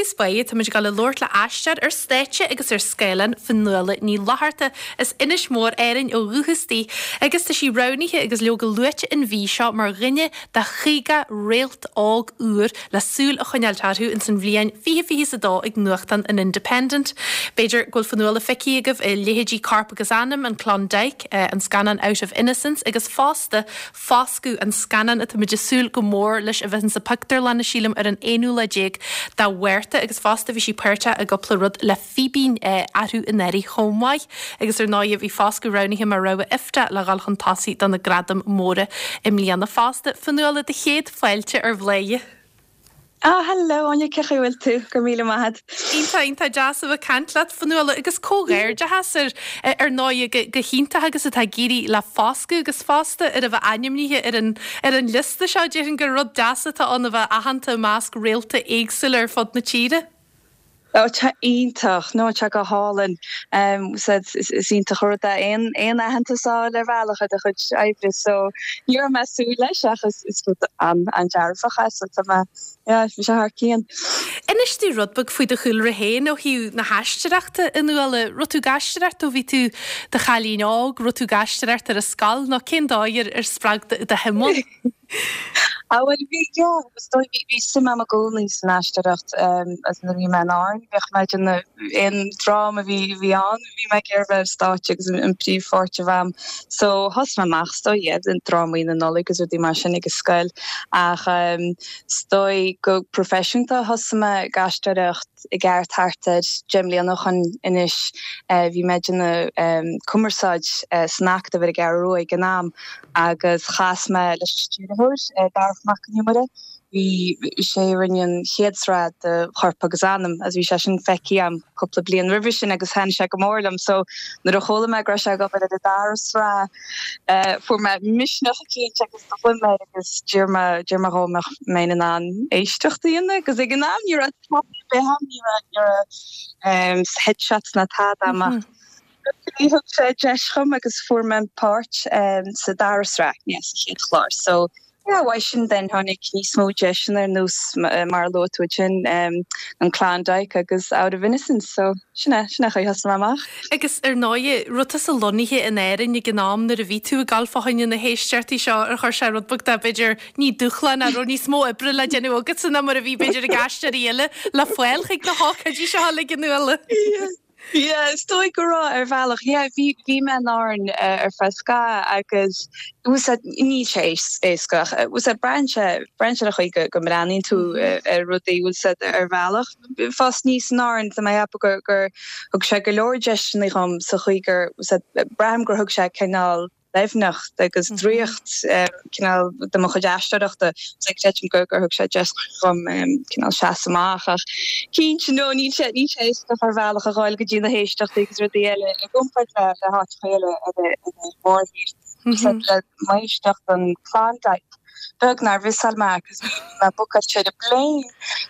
dtús báire, táimid ag dul a labhairt le aisteoir ar stáitse agus ar scáileán, Fionnuala Ní Fhlatharta, as Inis Mór, Árainn ó dhúchas di, agus tá sí roghnaithe agus leoga luaite an mhí seo mar dhuine de 50 réalt óg úr le súil a choinneáilt orthu ins an bhliain 2022 ag nuachtán an Independent. B'fhéidir go bhfuil Fionnuala feicthe agaibh i leithéidí Corp agus Anam, An Klondike, an scannán Out of Innocence agus fosta Foscadh, an scannán atáimid ag súil go mór leis a bheith insa pictiúrlanna, sílim, ar an aonú lá déag de Mhárta agus fosta bhí sí páirteach i gcúpla rud le Fíbín arú anuraidh chomh maith. Agus ar ndóighe bhí Foscadh roghnaithe mar rogha IFTA le dhul chun tosaigh do na gradaim mhóra i mbliana fosta. Fionnuala, do chéad fáilte ar Bhladhaire. Ah hello Áine, cén chaoi a bhfuil tú? Go raibh míle maith agat. Iontach, iontach deas a bheith ag caint leat, Fionnuala, agus comhghairdeachas ar, ar ndóighe, go, go hiontach agus atá ag éirí le Foscadh agus fosta ar a bheith ainmnithe ar an, ar an liosta seo. Déarfainn gur rud deas atá ann a bheith aitheanta i measc réalta éagsúla ar fud na tíre. Ó tá iontach, no tá go hálainn. Is iontach an rud é aon aon aitheantas a fháil ar bhealach ar do chuid oibre so ní raibh mé ag súil leis ach is is rud an-dearfach é so tá mé yeah bhí sé thar cionn. Inis dúinn rud beag faoi do chúlra féin ó thaobh na haisteoireachta, a Fhionnuala. Raibh tú ag aisteoireacht ó bhí tú i do chailín óg, raibh tú ag aisteoireacht ar an scoil nó cén dóigh ar ar spreag do shuim ann? Ah bhuel bhí, yeah, is dóigh bhí, bhí suim agam i gcónaí san aisteoireacht as nuair a bhí mé in Árainn, bhíodh mé ag déanamh aon dráma a bhí, a bhí ann, bhí mé ag iarraidh bheith ar stáitse agus an príomhpháirt a bheith agam. So thosaigh mé amach is dóigh, yeah, drámaí na Nollag agus rudaí mar sin ag an scoil ach is dóigh go proifisiúnta thosaigh mé ag aisteoireacht i gceart thart ar 10 mbliana ó shoin anois. Bhí mé ag déanamh cumarsáid san Acadamh ar an gCeathrú Rua ag an am agus chas mé leis an stiúrthóir, Darach Mac Con Iomaire. Bhí sé a rinne an chéad sraith de Chorp agus Anam agus bhí sé sin feicthe agam cúpla bliain roimhe sin agus thaitin sé go mór liom so nuair a chuala mé go raibh sé ag obair ar an dara sraith fuair mé misneach eicínt agus do ghlaoigh mé air agus d'iarr mé d'iarr mé dhó an mbeinn in ann éisteacht a dhéanamh agus ag an am ní raibh tada ar bith agam, ní raibh ní raibh headshots ná tada agam ach luckily thug sé deis dhom agus fuair mé an páirt sa dara sraith, yeah, sa chéad chlár. So yeah, uaidh sin then tháinig níos mó deiseanna ar nós mar a luaigh tú ansin, an Klondike agus Out of Innocence. So sin é, sin é an chaoi a thosaigh mé amach. Agus ar ndóighe, raibh tusa lonnaithe in Árainn ag an am nuair a bhí tú ag gabháil fá choinne na héisteachtaí seo, ar chuir sé rud beag de, b'fhéidir, ní dúshlán ach raibh níos mó oibre le déanamh agatsa ná mar a bhí b'fhéidir ag aisteoirí eile le fáil chuig na hócáidí seo uilig, a Fhionnuala. Yeah, is dóigh go raibh ar bhealach. Yeah, bhí, bhí mé in Árainn ar feadh scaitheamh agus bhfuil 's a'd, níl sé éasca ach bhfuil 's a'd, braitheann sé, braitheann sé ar an chaoi go, go mbreathnaíonn tú ar rudaí, bhfuil 's a'd, ar bhealach. Fás aníos in Árainn, tá mé ag ceapadh gur, gur thug sé go leor deiseanna dhom sa chaoi gur, bhfuil 's a'd, braithim gur thug sé cineál, doimhneacht agus draíocht cineál do mo chuid aisteoireachta. So creidim gur gur thug sé deis dhom cineál seasamh amach ach cinnte no níl sé níl sé éasca ar bhealach a ghabháil go dtí na héisteachtaí agus rudaí eile i gcomparáid le le háiteacha eile ar an mórthír. Le m'éisteacht don Klondike beag nár mhissáil mé agus bhí mé bookáilte ar an bplane.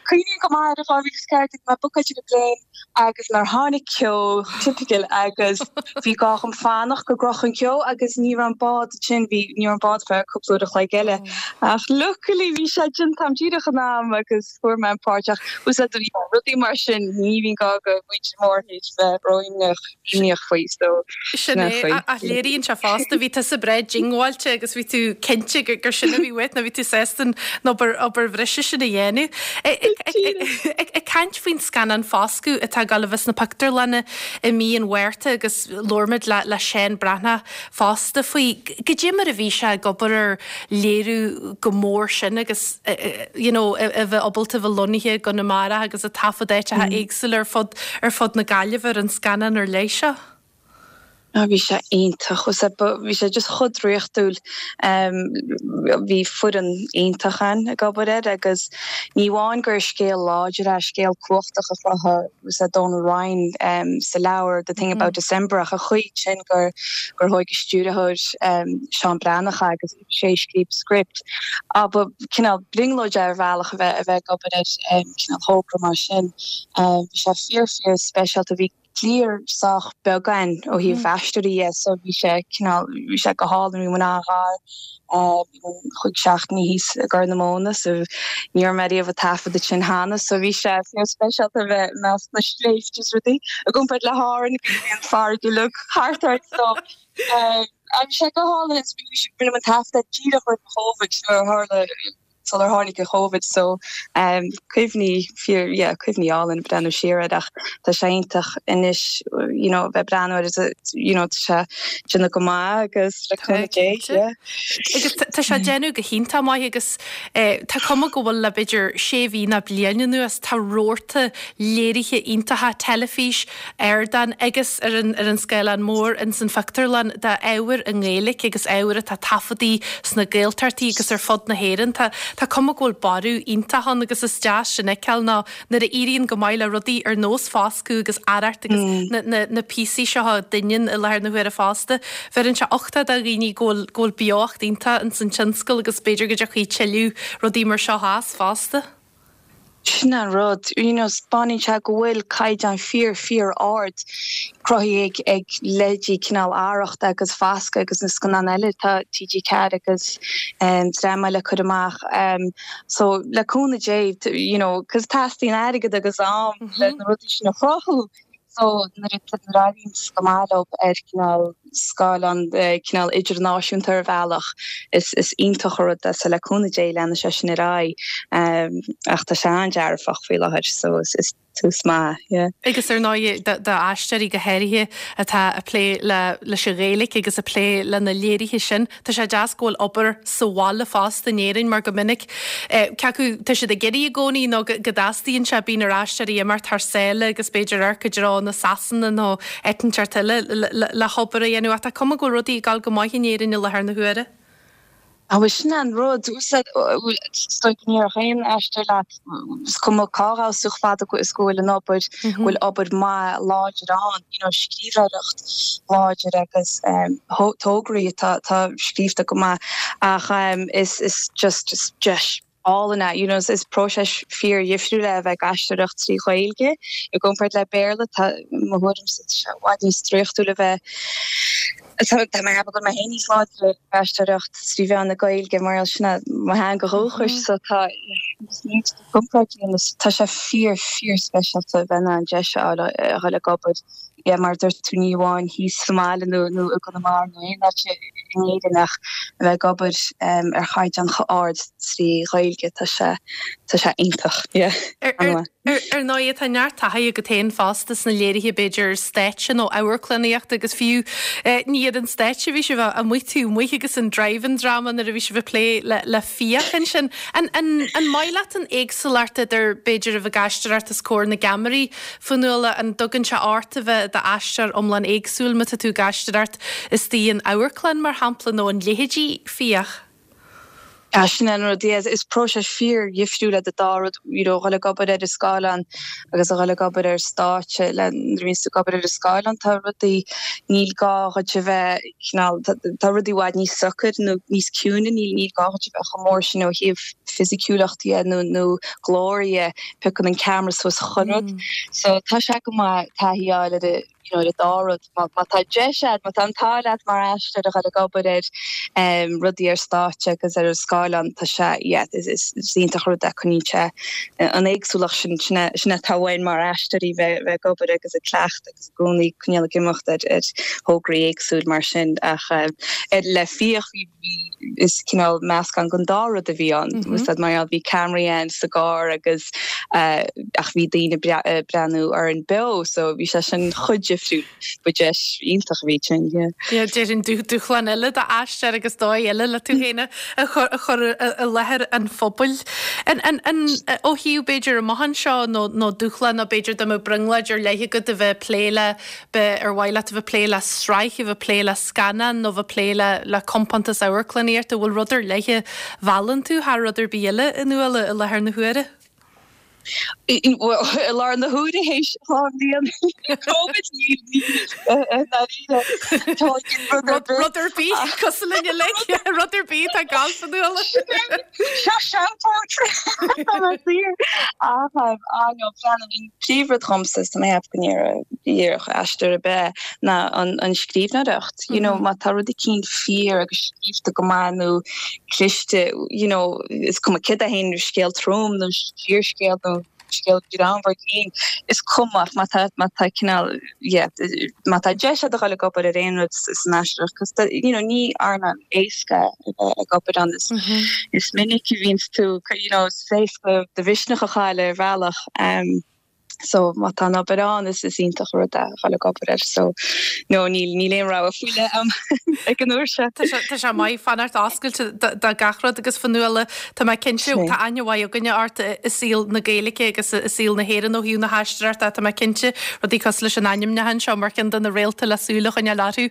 Cuimhním go maith ar 2014 bhí mé bookáilte ar an bplane agus nár tháinig ceo, typical, agus bhí gá dhom fanacht go gcrochfadh an ceo agus ní raibh an bád sin, bhí, ní raibh an bád feadh cúpla uair a chloig eile. Ach luckily bhí sé déanta a'm díreach in am agus fuair mé an páirt ach úsáid rudaí mar sin ní bhíonn gá do mhuintir mórthír bheith ró-imníoch imníoch faoi so Sin é, ach léiríonn sé fosta, bhí tusa breá diongbháilte agus bhí tú cinnte gur sin a bhí uait nó bhí tú sásta an obair, obair bhreise sin a dhéanamh. Ag caint faoin scannán Foscadh atá ag dul a bheith sna pictiúrlanna i mí an Mhárta agus labhair muid le le Seán Breathnach fosta faoi, goidé mar a bhí sé ag obair ar léiriú chomh mór sin agus you know a bheith ábalta a bheith lonnaithe i gConamara agus ag taifead áiteacha éagsúla ar fud ar fud na Gaillimhe ar an scannán ar leith seo. Ah bhí sé iontach, bhí sé just chomh draíochtúil. Bhí foireann iontach ann ag obair air agus ní amháin gur scéal láidir é, scéal cumhachtach a chruthaigh Donal Ryan sa leabhar The Thing About December ach an chaoi sin gur gur thóig an stiúrthóir Seán Breathnach é agus sé a scríobh script. Ah ba cineál brionglóid é ar bhealach a bheith a bheith ag obair ar cineál thogra mar sin. Bhí sé fíor fíor speisialta. Bhí. cliar sách beag againn ó thaobh aisteoirí dhe so bhí sé cineál, bhí sé go hálainn, bhí muid an-ghar, bhí muid chúig seachtainí thíos i gCorr na Móna so ní raibh mé riamh ag taifeadadh ansin cheana so bhí sé fíor speisialta a bheith i measc na sléibhte is rudaí i gcomparáid le hÁrainn bhí an farraige uilig thart ort so bhí sé go hálainn is bhí rinne muid an taifeadadh díreach roimh an Chóvid nuair a tharla sular tháinig an Chóvid so cuimhní fíor yeah cuimhní álainn breathnú siar air ach tá sé iontach anois you know bheith breathnú air you know tá sé déanamh go maith agus le cúnamh Dé yeah. Agus tá sé déanamh go hiontach maith agus tá cuma go bhfuil le b'fhéidir sé mhí nó bliain anuas tá rabharta léirithe iontacha teilifís ardán agus ar an ar an scáileán mór ins an phictiúrlann d'ábhar i nGaeilge agus ábhar atá taifeadtaí sna Gaeltachtaí agus ar fud na hÉireann. Tá tá cuma go bhfuil borradh iontach ann agus is deas sin a fheiceáil nó nuair a éiríonn go maith le rudaí ar nós Foscadh agus Arracht agus na na na píosaí seo a doineann i láthair na huaire fosta, bheireann sé uchtach do dhaoine go bhfuil go bhfuil beocht iontach ins an tionscal agus b'fhéidir go dtiocfaidh tuilleadh rudaí mar seo as fosta. Sin an rud, you know, 'spáineann sé go bhfuil caighdeán fíor, fíor ard cruthaithe ag, ag leithéidí cineál Arracht agus Foscadh agus na scannáin eile atá TG4 agus dream eile ag cur amach. So, le cúnamh Dé, you know, 'cause teastaíonn airgead agus am le na rudaí sin a chruthú. So, nuair a éiríonn go maith leo ar cineál scáileán, cineál idirnáisiúnta ar bhealach, is iontach an rud é. So, le cúnamh Dé, leanfaidh sé sin ar aghaidh. Ach tá sé an-dearfach faoi láthair, so is tús maith, yeah. Agus ar ndóigh, d'aisteoirí go háirithe atá ag plé leis an Ghaeilge agus ag plé le na léirithe sin, Tá sé deas go bhfuil obair sa bhaile fosta in Éirinn mar go minic cé acu tá siad ag iarraidh i gcónaí nó go dteastaíonn sé, bíonn ar aisteoirí imeacht thar sáile agus b'fhéidir amharc i dtreo na Sasana nó áit inteacht eile le hobair a dhéanamh ach tá cuma go bhfuil rudaí ag dul go maith in Éirinn i láthair na huaire. Á bhuel sin an rud, is dóigh go ndéarfadh aon aisteoir leat, is cuma cá ghabhfas tú chomh fada is go bhfuil an obair, go bhfuil obair maith láidir ann, you know scríbhneoireacht láidir agus tograí atá atá scríofa go maith ach is is just just deis álainn é, you know is próiseas fíor dhifriúil é a bheith ag aisteoireacht trí Ghaeilge i gcomparáid le Béarla, tá mo thuairimse tá sé i bhfad níos draíochtúil a bheith Tá mé ag ceapadh go bhfuil mé féin níos láidre ag aisteoireacht trí mheán na Gaeilge mar sin é mo theanga dhúchais so tá comparáid a dhéanamh tá sé fíor fíor speisialta a bheith in ann deis a fháil a dhul ag obair yeah mar a dúirt tú ní amháin thíos sa mbaile nó nó i gConamara nó aon áit in Éirinn ach a bheith ag obair ar chaighdeán chomh ard trí Ghaeilge tá sé tá sé iontach yeah an-mhaith. Ar ndóigh, tá neart taithí agat féin fosta sna léirithe, b'fhéidir, stáitse nó amharclannaíochta agus fiú ní ar an stáitse a bhí sibh amuigh taobh amuigh agus an drive-in drama nuair a bhí sibh ag plé le fiach ansin. An maith leat an éagsúlacht idir, b'fhéidir, a bheith ag aisteoireacht os comhair na gceamaraí, Fionnuala, an dtugann sé ort a bheith i d'aisteoir iomlán éagsúil má tá tú ag aisteoireacht istigh in amharclann, mar shampla, nó an leithéidí fiach? Ah, sin é an rud, yeah, is próiseas fíor-dhifriúil iad an dá rud, you know, dhul ag obair ar an scáileán agus a dhul ag obair ar stáitse, le, nuair a bhíonns tú ag obair ar an scáileán tá rudaí, níl gá dhuit a bheith cineál, tá rudaí i bhfad níos socair nó níos ciúine, níl, níl gá dhuit a bheith chomh mór sin ó thaobh fisiciúlacht dhe nó, nó glór dhe, piocann an ceamara suas chuile rud. So tá sé go maith taithí a fháil ar an, you know, ar an dá rud. Má, má tá deis agat, má tá an t-ádh leat mar aisteoir a dhul ag obair ar um, rudaí ar stáitse agus ar an scáileán, tá sé, yeah, is, is, is iontach an rud é, coinníonn sé an éagsúlacht sin, sin é, sin é atá uainn mar aisteoirí bheith, bheith ag obair agus ag cleachtadh agus i gcónaí coinneáil ag imeacht ar, ar thograí éagsúil mar sin ach um, ar, le fiach bhí, bhí, is cineál meascán den dá rud a bhí ann. Mm -hmm. Mar gheall bhí ceamaraí ann sa gcarr agus ach bhí daoine ag breathnú orainn beo so bhí sé sin chomh difriúil. Ba deis iontach a bhí ansin, yeah. Yeah, déarfainn dúshlán eile d'aisteoir agus dóigh eile le tú féin a chur i láthair an phobail. An, an, an, ó thaobh b'fhéidir amuigh anseo nó, nó dúshlán nó b'fhéidir dá mbeadh brionglóid ar leith agat a bheith ag plé le B'fhéidir ar mhaith leat a bheith ag plé le sraith, a bheith ag plé le scannán nó a bheith ag plé le le compántas amharclannaíochta, an bhfuil rud ar leith a mheallann tú thar rud ar bith eile, a Fhionnuala, i láthair na huaire? Bhuel, i láthair na huaire théis 2 bhliain Covid, níl, níl, i ndáiríre, tá rud ar bith. Rud ar bith, cosúil linn uilig, rud ar bith atá ag gabháil, a Fhionnuala. Seo shout out! Tá mé saor. Ach, ah no, breathnaím, an príomhrud dhomsa is tá mé ag ceapadh go ndéarfaidh. Díreach aisteoir ar bith ná an scríbhneoireacht. You know, má tá rud eicínt fíor agus scríobhta go maith nó cliste, you know, is cuma céard é féin, scéal trom nó fíorscéal nó scéal greannmhar grinn, is cuma ach má tá, má tá cineál, yeah, má tá deis agat a dhul ag obair ar aon rud san aisteoireacht, 'cause tá, you know, ní earnáil éasca a bheith ag obair ann, is, is minic a bhíonns tú, you know, is éasca do mhisneach a chailleadh ar bhealach. Um, So má tá an obair ann is is iontach an rud é a dhul ag obair air. So no níl níl aon rogha faoi leith agam ag an uair seo. Tá sé tá sé maith fanacht oscailte do do gach rud agus Fionnuala tá mé cinnte tá aithne mhaith againne ort i saol na Gaeilge agus i saol na hÉireann ó thaobh na haisteoireachta tá mé cinnte rudaí cosúil leis an ainmniúchán seo mar cheann de na réalta le súil a choinneáil orthu.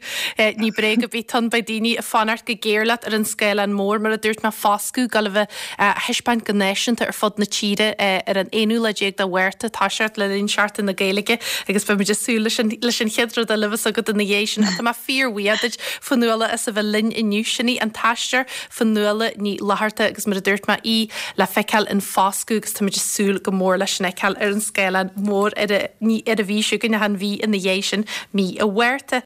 Ní bréag ar bith ann beidh daoine ag fanacht go géar leat ar an scáileán mór mar a dúirt mé Foscadh ag gabháil a bheith a thaispeáint go náisiúnta ar fud na tíre ar an aonú lá déag de Mhárta, toiseacht le linn Seachtain na Gaeilge agus beimid ag súil leis an leis an chéad rud eile a bheas agat ina dhiaidh sin. Tá mé fíorbhuíoch duit, Fionnuala, as a bheith linn inniu. Sin í an t-aisteoir Fionnuala Ní Fhlatharta agus mar a dúirt mé, í le feiceáil in Foscadh agus táimid ag súil go mór leis sin a fheiceáil ar an scáileán mór ar a, ní ar an mhí seo chugainn ach an mhí ina dhiaidh sin, mí an Mhárta.